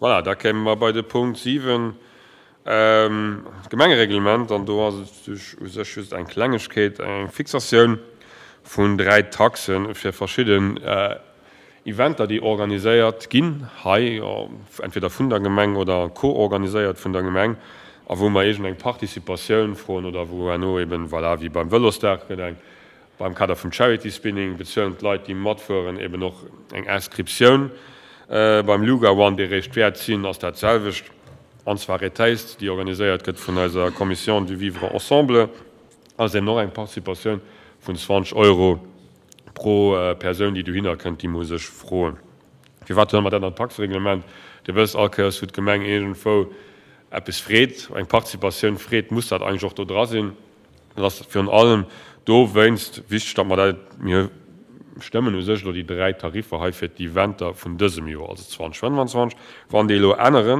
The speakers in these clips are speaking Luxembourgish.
Voilà, da kéime mer bei de Punkt 7, d'Gemengereglement. An do ass et u sech just eng Klengegkeet, eng Fixatioun vun 3 Taxe fir verschidden Eventer, déi organiséiert ginn hei, entweder vun der Gemeng oder co-organiséiert vun der Gemeng, a wou mer iergend eng Participatioun froen oder wou herno eben, voilà, wéi beim Vëlosdag gëtt eng Beim Kader vum Charity Spinning bezuelen d'Leit, déi matfueren, eben och eng Inscriptioun. Beim Luga One, dee réischt wäert sinn, ass dat selwecht. An d'Soirée Taste, déi organiséiert gëtt vun eiser Commission du Vivre Ensemble, ass eben och eng Participatioun vun 20 Euro pro Persoun, déi dohinner kënnt, déi muss ech froen. Firwat huele mer dat an d'Taxereglement? Dir wësst, all Kéiers wou d'Gemeng iergendwou eppes freet, eng Participatioun freet, muss dat eigentlech och do dra sinn. Et ass virun allem dowéinst wichteg, datt mer dat, mir stëmmen u sech elo déi 3 Tariffer hei fir d'Eventer vun dësem Joer, also 2025. Wann déi elo ännere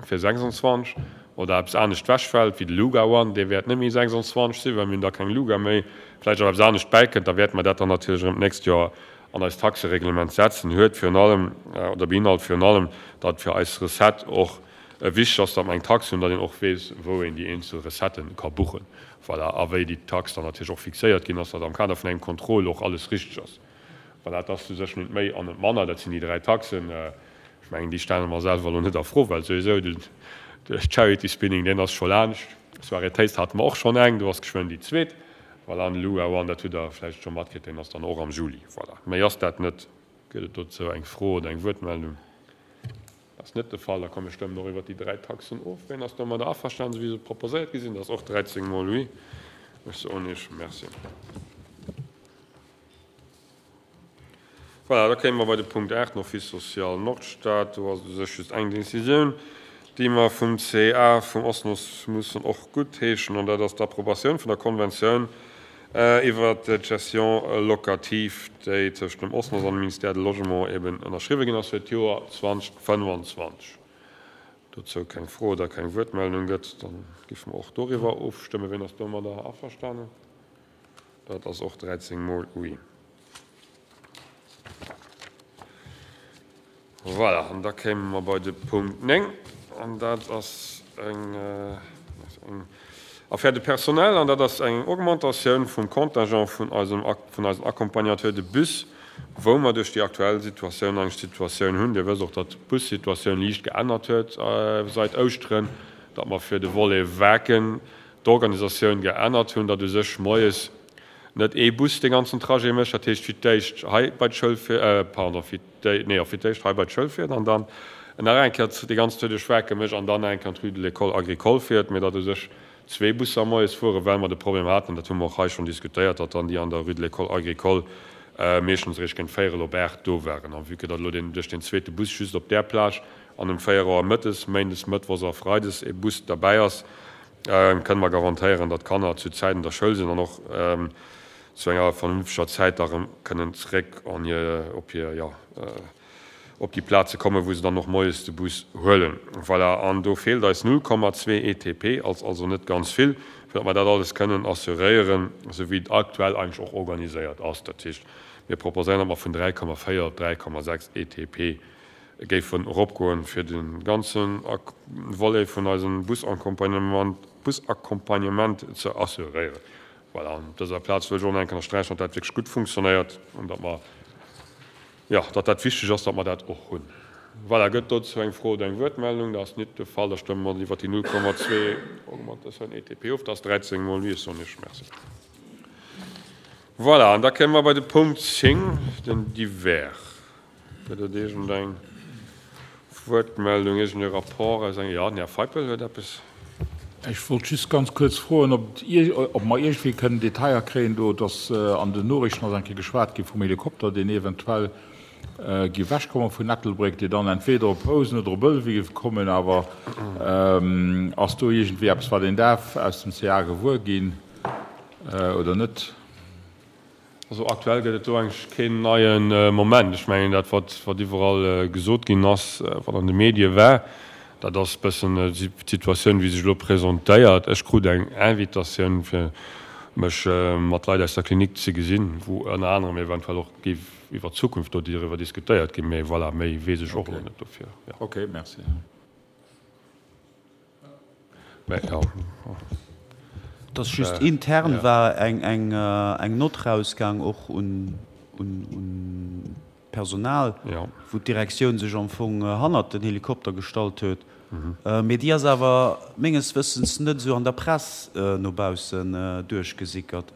fir 26 oder eppes anescht wechfält, wéi de Luga One, dee wäert net méi 26 sinn, well mir hunn da keng Luga méi, vläicht awer eppes anescht bäikënnt, da wäerte mer dat dann natierlech erëm d'nächst Joer an eist Taxereglement setzen. Huet virun allem oder beinhalt virun allem, datt fir eis Recette och Wichteg ass, datt mer eng Tax hunn, datt een och weess, wou een déi eenzel Recettë ka buchen. Voilà. A wéi déi Tax dann natierlech och fixéiert ginn ass, datt am Kader vun engem Contrôle och alles richteg ass. Voilà, et ass u sech net méi an net manner. Dat sinn déi 3 Taxen. Ech mengen, déi stelle mer selwer elo net a Fro, well souwisou den Charity Spinning, deen ass scho laanscht. Soirée Taste hate mer och schonn eng, do ass geschwënn déi zweet. Voilà, an de Luga One, dat hutt Der vläicht scho matkritt, deen ass dann och am Juli. Voilà, méi ass dat net. Gëtt et dozou eng Fro oder eng Wuertmeldung? Dat ass net de Fall. Da komm, mir stëmmen och iwwert déi 3 Taxen of. Ween ass domadder averstanen, esou wéi se proposéiert gi sinn? Dat ass och 13 mol oui. Ech soen Iech Merci. Voilà, da kéime mer bei de Punkt 8, den Office social Nordstad. Do ass et u sech just eng Décisioun, déi mer vum CA vum OSNOS mussen och guttheeschen, an dat ass d'Approbatioun vun der Konventioun iwwert d'Gestion locative, déi tëscht dem OSNOS an dem Ministère de Logement eben ënnerschriwwe ginn ass fir d'Joer 2025. Dozou keng Fro oder keng Wuertmeldung gëtt, da géife mer och doriwwer ofstëmmen. Wien ass domadder averstanen? Dat ass och 13 mol oui. Voilà, an da kéime mer bei de Punkt 9, an dat ass eng Affaire de personnel, an dat ass eng Augmentatioun vum Contingent vun eisem, vun eisen Accompagnateurs de bus, wou mer duerch déi aktuell Situatioun eng Situatioun hunn, Dir wësst och, datt d'Bussituatioun liicht geännert huet seit Ouschteren, datt mer fir de Volet Waarken d'Organisatioun geännert hunn, datt u sech moies net ee Bus dee ganzen Trajet mécht, dat heescht fir d'éischt hei bei d'Schoul fiert, pardon, fir déi, nee, jo, fir d'éischt hei bei d'Schoul fiert an dann nach eng Kéier déi ganz Tour duerch Waarken mécht an dann nach eng Kéier an d'Rue de l'École agricole fiert, mee datt u sech zwee Busser moies fueren, well mer de Problem haten, dat hu mer och hei schonn diskutéiert, datt dann déi an der Rue de l'École agricole meeschtens eréischt géint véierel op 8 do waren. A vue que datt elo deen, duerch deen zweete Bus just op där Plage an um 4 Auer mëttes, méindes, mëttwochs a freides ee Bus derbäi ass, kënne mer garantéieren, datt d'Kanner zu Zäit an der Schoul sinn an och zu enger vernünfteger Zäit da rëm kënnen zréck an hir, op hir, jo, op déi Plaze kommen, wou se dann och moies de Bus huelen. Voilà, an do feelt eis 0,2 ETP, als also net ganz vill, fir datt mer dat alles kënnen assuréieren, esou wéi et aktuell eigentlech och organiséiert ass. Dat heescht, mir proposéieren, datt mer vun 3,4 op 3,6 ETP géifen eropgoen, fir de ganze Volet vun eisem Busaccompagnement ze assuréieren. Voilà, an op dëser Plaz wëll ech och nach eng Kéier ënnersträichen, datt dat wierklech gutt funktionéiert an datt mer, jo, datt dat wichteg ass, datt mer dat och hunn. Voilà, gëtt dozou eng Fro oder eng Wuertmeldung? Dat ass nit de Fall. Da stëmme mer iwwert déi 0,2 Augmentatioun ETP of. Dat ass 13 mol oui. Ech soen Iech Merci. Voilà, an da kéime mer bei de Punkt 10, den Divers. Gëtt et iergendeng Wuertmeldung, iergend e Rapport aus engem. Jo, den Här Feipel huet eppes. Ech wollt just ganz kuerz froen, ob ob mer iergendwéi kënnen Detailler kréien do. Et ass an den Noriichten ass eng Kéier geschwat gi vum Helikopter, deen eventuell géif ewechkomme vun Ettelbréck, dee dann entweder op Housen oder op Ëlwen géif kommen. Awer ass do iergendwéi eppes, wat een däerf aus dem CA gewuer ginn oder net? Also aktuell gëtt et do eigentlech keen neie Moment. Ech mengen dat wat wat iwwerall gesot ginn ass, wat an de Medie war, dat ass e bëssen d'Situatioun wéi sech elo presentéiert. Ech krut eng Invitatioun fir mech mat Leit aus der Klinik ze gesinn, wou ënner anerem eventuell och géif. iwwer d'Zukunft do doriwwer diskutéiert ginn. Mee voilà, méi weess ech och elo net dofir. Ok, merci. Mä jo. Et ass just intern war eng Nott rausgaang och un d'Personal, wou d'Direktioun sech am Fong hannert den Helikopter gestallt huet. Mee déi ass awer menges Wëssens net esou an der Press no baussen duerchgesickert.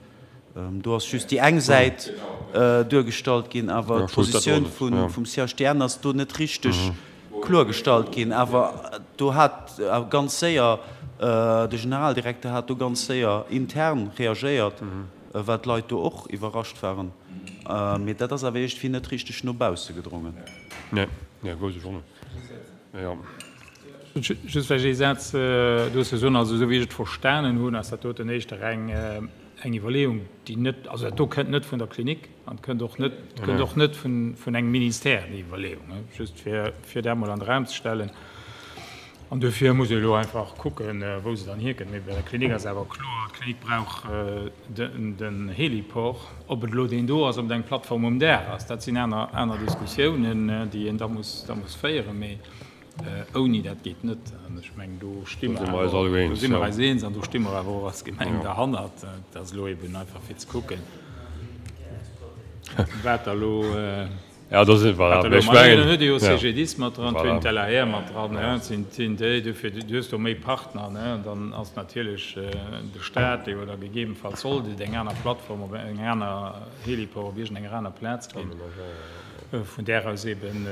Do ass just déi eng Säit duergestallt ginn, awer d'Positioun vum CHDN ass do net richteg kloergestallt ginn. Awer do hat ganz séier, de Generaldirekter hat do ganz séier intern reagéiert, wat d'Leit do och iwwerrascht waren. Mee dat ass awer iergendwéi net richteg no bausse gedrongen. Nee, nee, wousst ech och net. Jo. Just vläicht ee Saz dozou soen. Also esou wéi ech et verstanen hunn, ass dat doten éischter eng eng Iwwerleeung, déi net, also dat do kënnt net vun der Klinik an kënnt och net, kënnt och net vun, vun engem Ministère, déi Iwwerleeung, just fir, fir dat emol an de Raum ze stellen. An duerfir muss ee elo einfach kucken, wou se dann hierkënnt. Mee bei der Klinik ass awer kloer, d'Klinik brauch den, den Heliport. Ob et elo deen do ass, ob et eng Plattform um Daach ass, dat sinn aner, aner Diskussiounen, déi een da muss, da muss féieren. Mee Ouni dat geet net. An ech mengen, do sti mer awer, do si mer eis eens an do sti mer awer och als Gemeng derhannert. Et ass elo eben einfach fir ze kucken, wat da elo, wat da elo mat. Dann huet Dir jo CGDIS mat dran, et huet een d'LAR mat dran, et sinn, sinn déi, dofir, du hues do méi Partner, ne, an dann ass natierlech de Stat, dee jo da gegebenfalls sollt et eng aner Plattform op eng aner Heliport op iergendenger aner Plaz ginn, vun där aus eben,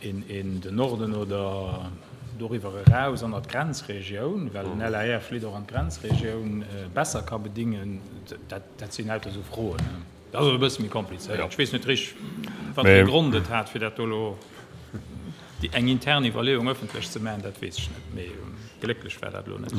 In den Norden oder doriwwer eraus an der d'Grenzregioun, well den LAR flitt och an d'Grenzregioun, besser ka bedingen, dat sinn lauter esou Froen. Dat ass och e bësse méi komplizéiert. Ech weess net richteg, wat fir e Grond et hat, fir dat do elo eng intern Iwwerleeung ëffentlech ze maachen, dat weess ech net, mee glécklech war dat elo net.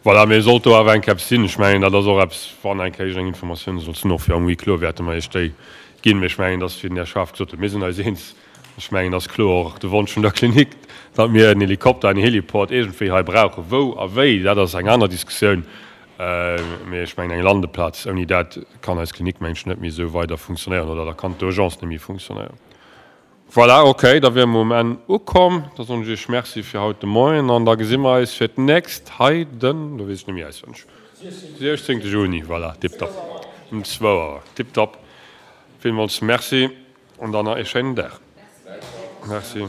Voilà, mee sollt do awer eng Kéier eppes sinn, ech mengen, dat ass och eppes, wann eng Kéier eng Informatioun sollt sinn, och fir am Huis clos wäerte mer Iech déi ginn. Mee ech mengen, dass, wéi den Här Schaaf gesot huet, mir sinn eis eens, ech mengen, dass kloer och de Wonsch vun der Klinik, datt mir en Helikopter, en Heliport iergendwéi hei brauchen. Wou a wéi, dat ass eng aner Diskussioun. Mee ech mengen, eng Landeplaz, ouni dat kann eis Klinik, mengen ech, net méi esou weider funktionéieren oder da kann d'Urgence net méi funktionéieren. Voilà, ok, da wiere mer um Enn ukomm. Da soen ech Iech Merci fir haut de Moien an da gesi mer eis fir d'nächst hei den, lo weess ech net méi auswenneg, 16. Juni, voilà, tiptop, um zwou Auer, tiptop. Villmools Merci an dann nach ee schéinen Dag. Merci.